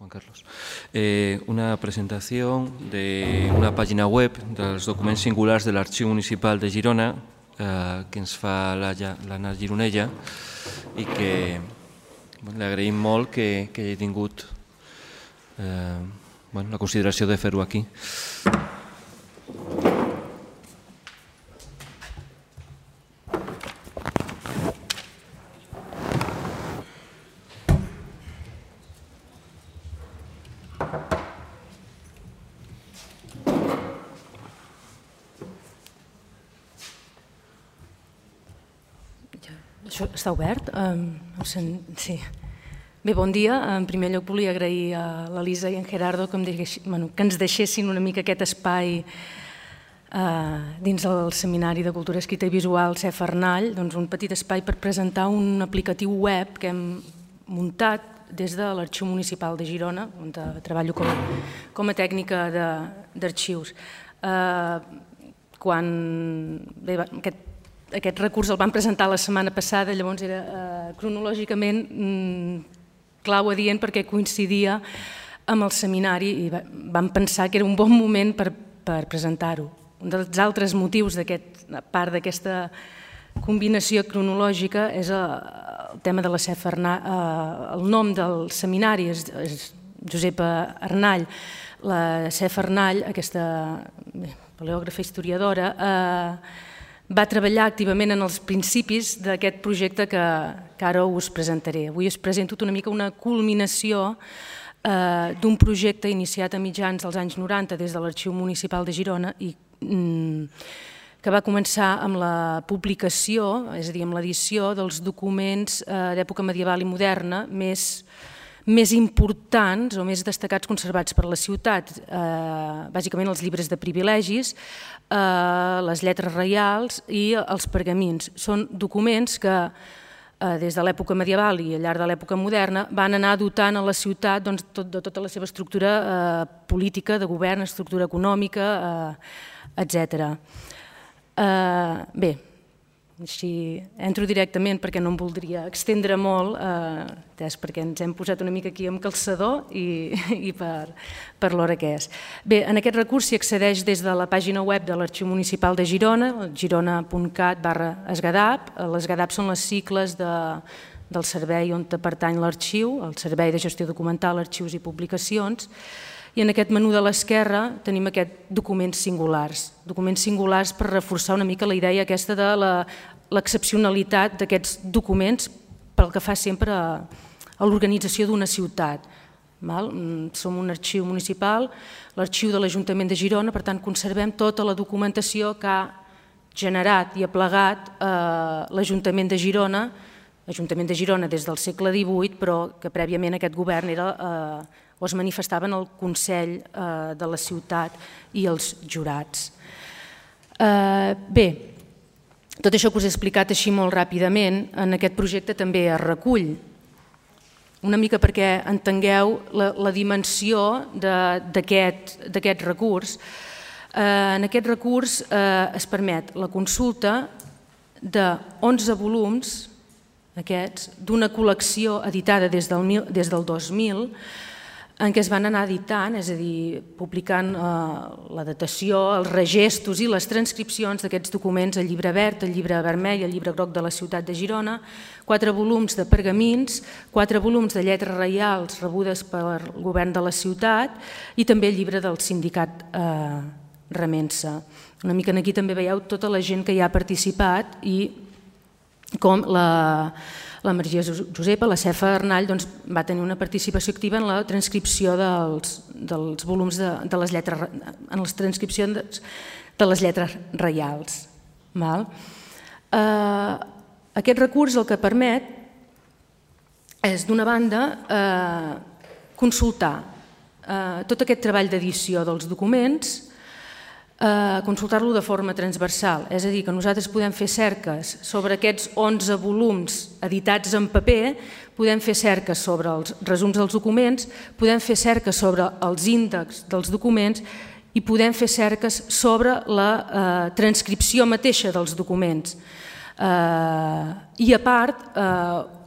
Juan Carlos. Una presentació d'una pàgina web dels documents singulars de l'Arxiu Municipal de Girona que ens fa l'Anna Gironella i que li agraïm molt que hagi tingut la consideració de fer-ho aquí. Això està obert? Sí. Bé, bon dia. En primer lloc volia agrair a l'Elisa i en Gerardo que ens deixessin una mica aquest espai dins del Seminari de Cultura Escrita i Visual CEF Arnall, un petit espai per presentar un aplicatiu web que hem muntat des de l'Arxiu Municipal de Girona, on treballo com a tècnica d'arxius. Quan aquest recurs el vam presentar la setmana passada, llavors era cronològicament clau adient perquè coincidia amb el seminari i vam pensar que era un bon moment per presentar-ho. Un dels altres motius a part d'aquesta combinació cronològica és el tema de la CEF Arnall. El nom del seminari és Josepa Arnall. La CEF Arnall, aquesta paleògrafa historiadora, va treballar activament en els principis d'aquest projecte que ara us presentaré. Avui us presento una mica una culminació d'un projecte iniciat a mitjans dels anys 90 des de l'Arxiu Municipal de Girona i que va començar amb la publicació, és a dir, amb l'edició dels documents d'època medieval i moderna més importants o més destacats conservats per la ciutat, bàsicament els llibres de privilegis, les lletres reials i els pergamins. Són documents que des de l'època medieval i al llarg de l'època moderna van anar dotant a la ciutat de tota la seva estructura política, de govern, estructura econòmica, etc. Bé, així entro directament perquè no em voldria extendre molt, perquè ens hem posat una mica aquí amb calçador i per l'hora que és. Bé, en aquest recurs s'hi accedeix des de la pàgina web de l'Arxiu Municipal de Girona, girona.cat/esgadap. Les GADAP són les sigles del servei on pertany l'arxiu, el Servei de Gestió Documental, Arxius i Publicacions, i en aquest menú de l'esquerra tenim aquests documents singulars per reforçar una mica la idea aquesta de l'excepcionalitat d'aquests documents pel que fa sempre a l'organització d'una ciutat. Som un arxiu municipal, l'arxiu de l'Ajuntament de Girona, per tant conservem tota la documentació que ha generat i aplegat l'Ajuntament de Girona, des del segle XVIII, però que prèviament aquest govern o es manifestava en el Consell de la ciutat i els jurats. Bé, tot això que us he explicat així molt ràpidament, en aquest projecte també es recull, una mica perquè entengueu la dimensió d'aquest recurs. En aquest recurs es permet la consulta de 11 volums d'una col·lecció editada des del 2000, en què es van anar editant, és a dir, publicant la datació, els regestos i les transcripcions d'aquests documents, el llibre verd, el llibre vermell, el llibre groc de la ciutat de Girona, 4 volums de pergamins, 4 volums de lletres reials rebudes pel govern de la ciutat i també el llibre del sindicat Remensa. Una mica aquí també veieu tota la gent que hi ha participat i com la Maria Josepa, la CEF Arnall, va tenir una participació activa en la transcripció dels volums de les lletres, en les transcripcions de les lletres reials. Aquest recurs el que permet és, d'una banda, consultar tot aquest treball d'edició dels documents, consultar-lo de forma transversal, és a dir, que nosaltres podem fer cerques sobre aquests 11 volums editats en paper, podem fer cerques sobre els resums dels documents, podem fer cerques sobre els índexs dels documents i podem fer cerques sobre la transcripció mateixa dels documents. I a part,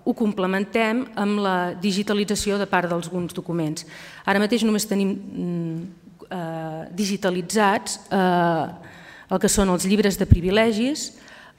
ho complementem amb la digitalització de part d'alguns documents. Ara mateix només tenim digitalitzats el que són els llibres de privilegis,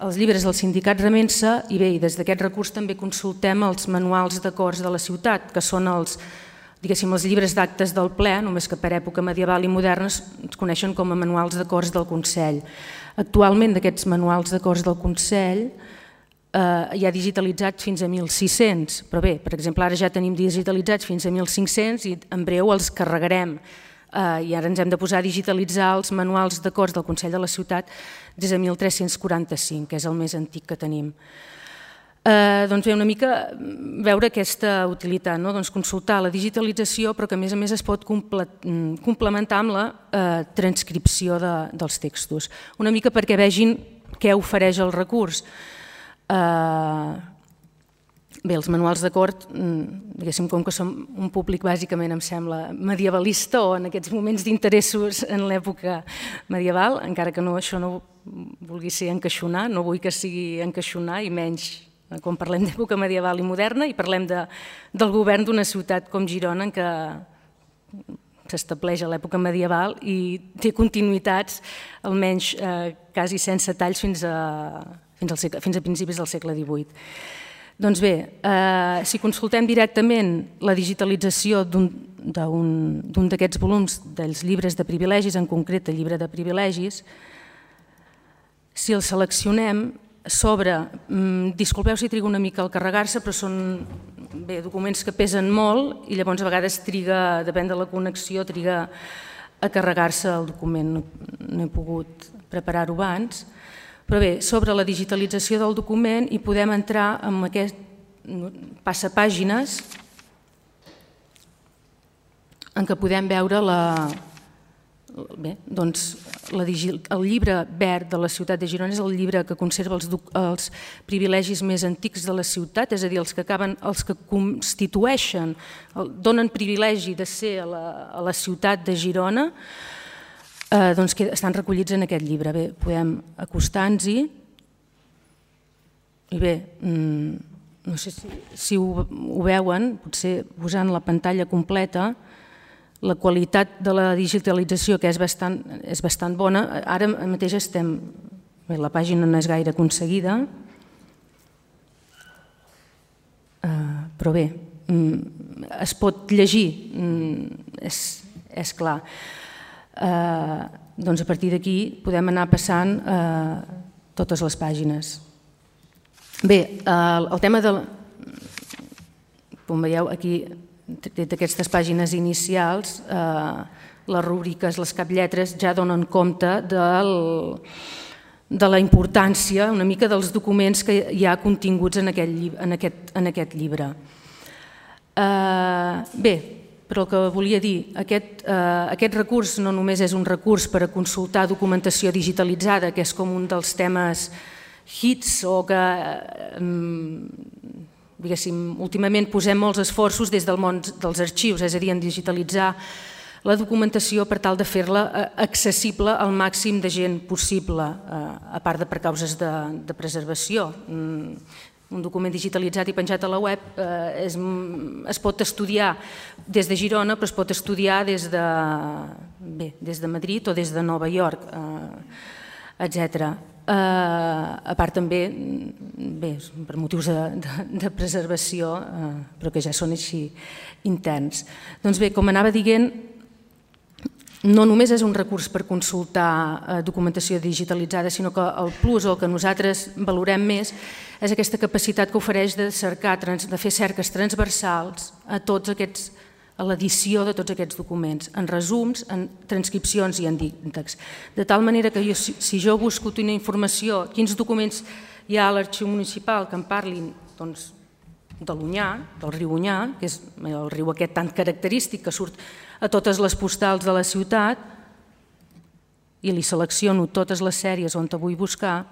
els llibres del sindicat Remensa i bé, des d'aquest recurs també consultem els manuals d'acords de la ciutat, que són els llibres d'actes del ple, només que per època medieval i moderna es coneixen com a manuals d'acords del Consell. Actualment d'aquests manuals d'acords del Consell hi ha digitalitzats fins a 1.600, però bé, per exemple, ara ja tenim digitalitzats fins a 1.500 i en breu els carregarem. I ara ens hem de posar a digitalitzar els manuals d'acords del Consell de la Ciutat des de 1345, que és el més antic que tenim. Doncs bé, una mica veure aquesta utilitat, consultar la digitalització, però que a més es pot complementar amb la transcripció dels textos. Una mica perquè vegin què ofereix el recurs. Bé, els manuals d'acord, diguéssim, com que som un públic bàsicament, em sembla, medievalista o en aquests moments d'interessos en l'època medieval, encara que això no vulgui ser encaixonar, no vull que sigui encaixonar i menys quan parlem d'època medieval i moderna i parlem del govern d'una ciutat com Girona en què s'estableix a l'època medieval i té continuïtats almenys quasi sense talls fins a principis del segle XVIII. Doncs bé, si consultem directament la digitalització d'un d'aquests volums dels llibres de privilegis, en concret el llibre de privilegis, si el seleccionem, s'obre, disculpeu si triga una mica al carregar-se, però són documents que pesen molt i llavors a vegades triga, depèn de la connexió, triga a carregar-se el document, no he pogut preparar-ho abans. Però bé, sobre la digitalització del document hi podem entrar en aquest passapàgines en què podem veure el llibre verd de la ciutat de Girona és el llibre que conserva els privilegis més antics de la ciutat, és a dir, els que constitueixen, donen privilegi de ser a la ciutat de Girona, doncs que estan recollits en aquest llibre. Bé, podem acostar-nos-hi i bé, no sé si ho veuen, potser posant la pantalla completa, la qualitat de la digitalització que és bastant bona. Ara mateix la pàgina no és gaire aconseguida, però bé, es pot llegir, és clar. Doncs a partir d'aquí podem anar passant totes les pàgines. Bé, el tema com veieu aquí, d'aquestes pàgines inicials, les rúbriques, les caplletres ja donen compte de la importància una mica dels documents que hi ha continguts en aquest llibre. Bé, però el que volia dir, aquest recurs no només és un recurs per a consultar documentació digitalitzada, que és com un dels temes hits o que, diguéssim, últimament posem molts esforços des del món dels arxius, és a dir, en digitalitzar la documentació per tal de fer-la accessible al màxim de gent possible, a part de per causes de preservació. Un document digitalitzat i penjat a la web es pot estudiar des de Girona, però es pot estudiar des de Madrid o des de Nova York, etc. A part també, per motius de preservació, però que ja són així interns. Doncs bé, com anava dient, no només és un recurs per consultar documentació digitalitzada, sinó que el plus o el que nosaltres valorem més és aquesta capacitat que ofereix de cercar, de fer cerques transversals a l'edició de tots aquests documents, en resums, en transcripcions i en índexs. De tal manera que si jo busco una informació, quins documents hi ha a l'arxiu municipal que em parlin de l'Onyar, del riu Onyar, que és el riu aquest tan característic que surt a totes les postals de la ciutat, i li selecciono totes les sèries on vull buscar,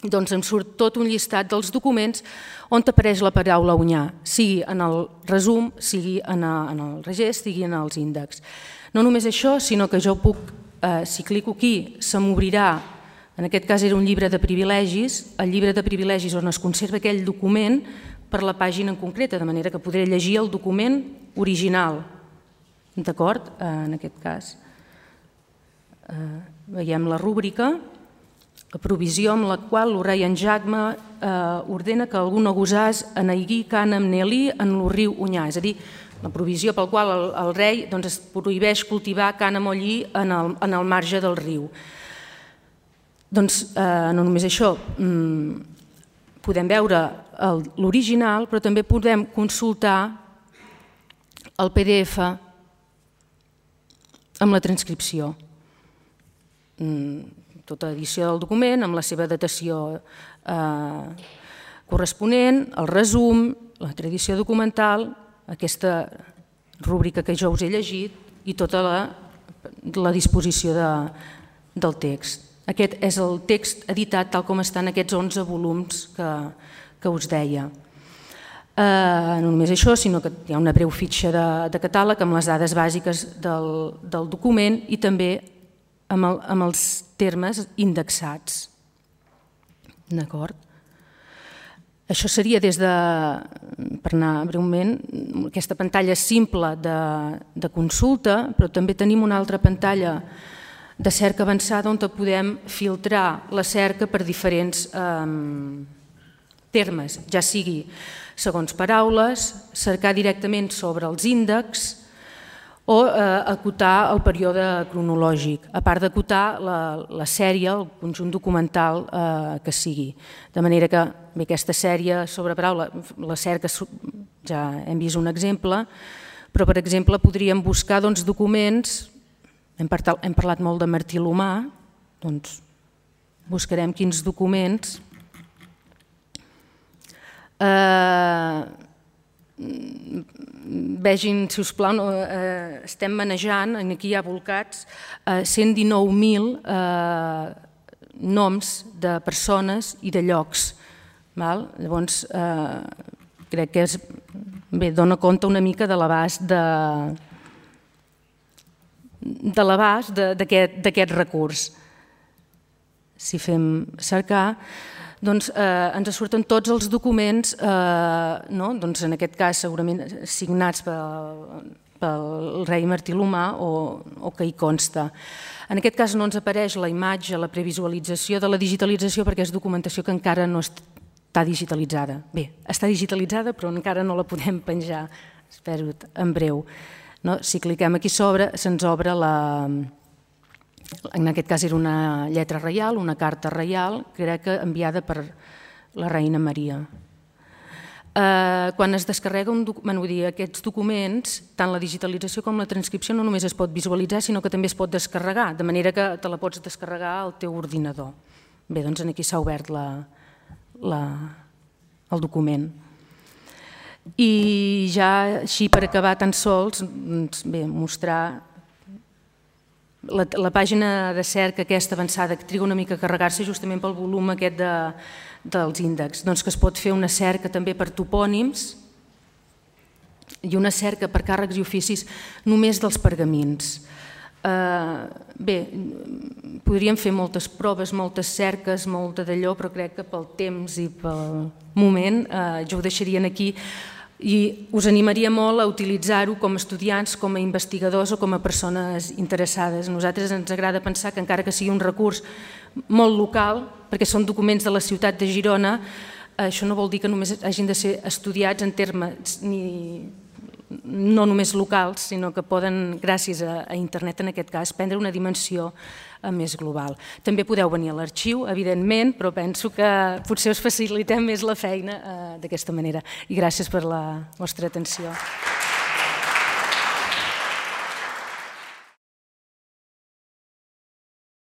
doncs em surt tot un llistat dels documents on apareix la paraula Onyar, sigui en el resum, sigui en el regest, sigui en els índexs. No només això, sinó que jo puc, si clico aquí, se m'obrirà En aquest cas era un llibre de privilegis, el llibre de privilegis on es conserva aquell document per la pàgina en concreta, de manera que podré llegir el document original. D'acord? En aquest cas. Veiem la rúbrica, la provisió amb la qual el rei en Jacme ordena que algun gosàs eneigui cànem nelí en el riu Onyà. És a dir, la provisió pel qual el rei es prohibeix cultivar cànem o lli en el marge del riu. Doncs no només això, podem veure l'original, però també podem consultar el PDF amb la transcripció. Tota edició del document, amb la seva datació corresponent, el resum, la tradició documental, aquesta rúbrica que jo us he llegit i tota la disposició del text. Aquest és el text editat tal com estan aquests 11 volums que us deia. No només això, sinó que hi ha una breu fitxa de catàleg amb les dades bàsiques del document i també amb els termes indexats. D'acord? Això seria des de, per anar breument, aquesta pantalla simple de consulta, però també tenim una altra pantalla de cerca avançada on podem filtrar la cerca per diferents termes, ja sigui segons paraules, cercar directament sobre els índexs, o acotar el període cronològic, a part d'acotar la sèrie, el conjunt documental que sigui. De manera que aquesta sèrie sobre paraula, la cerca, ja hem vist un exemple, però per exemple podríem buscar documents, hem parlat molt de Martí l'Humà, doncs buscarem quins documents vegin, si us plau, estem manejant, aquí hi ha volcats 119.000 noms de persones i de llocs. Llavors, crec que dona compte una mica de l'abast d'aquest recurs. Si fem cercar, doncs ens surten tots els documents, en aquest cas segurament signats pel rei Martí l'Humà o que hi consta. En aquest cas no ens apareix la imatge, la previsualització de la digitalització perquè és documentació que encara no està digitalitzada. Bé, està digitalitzada però encara no la podem penjar, espero en breu. Si cliquem aquí sobre se'ns obre en aquest cas era una lletra reial, una carta reial, crec que enviada per la reina Maria. Quan es descarrega aquests documents, tant la digitalització com la transcripció no només es pot visualitzar, sinó que també es pot descarregar, de manera que te la pots descarregar al teu ordinador. Bé, doncs aquí s'ha obert el document. I ja així per acabar tan sols, mostrar la pàgina de cerca aquesta avançada que triga una mica a carregar-se justament pel volum aquest dels índexs, que es pot fer una cerca també per topònims i una cerca per càrrecs i oficis només dels pergamins. Bé, podríem fer moltes proves, moltes cerques, molta d'allò, però crec que pel temps i pel moment jo ho deixaria aquí. I us animaria molt a utilitzar-ho com a estudiants, com a investigadors o com a persones interessades. A nosaltres ens agrada pensar que encara que sigui un recurs molt local, perquè són documents de la ciutat de Girona, això no vol dir que només hagin de ser estudiats en termes no només locals, sinó que poden, gràcies a internet en aquest cas, prendre una dimensió més global. També podeu venir a l'arxiu, evidentment, però penso que potser us facilitem més la feina d'aquesta manera. I gràcies per la vostra atenció.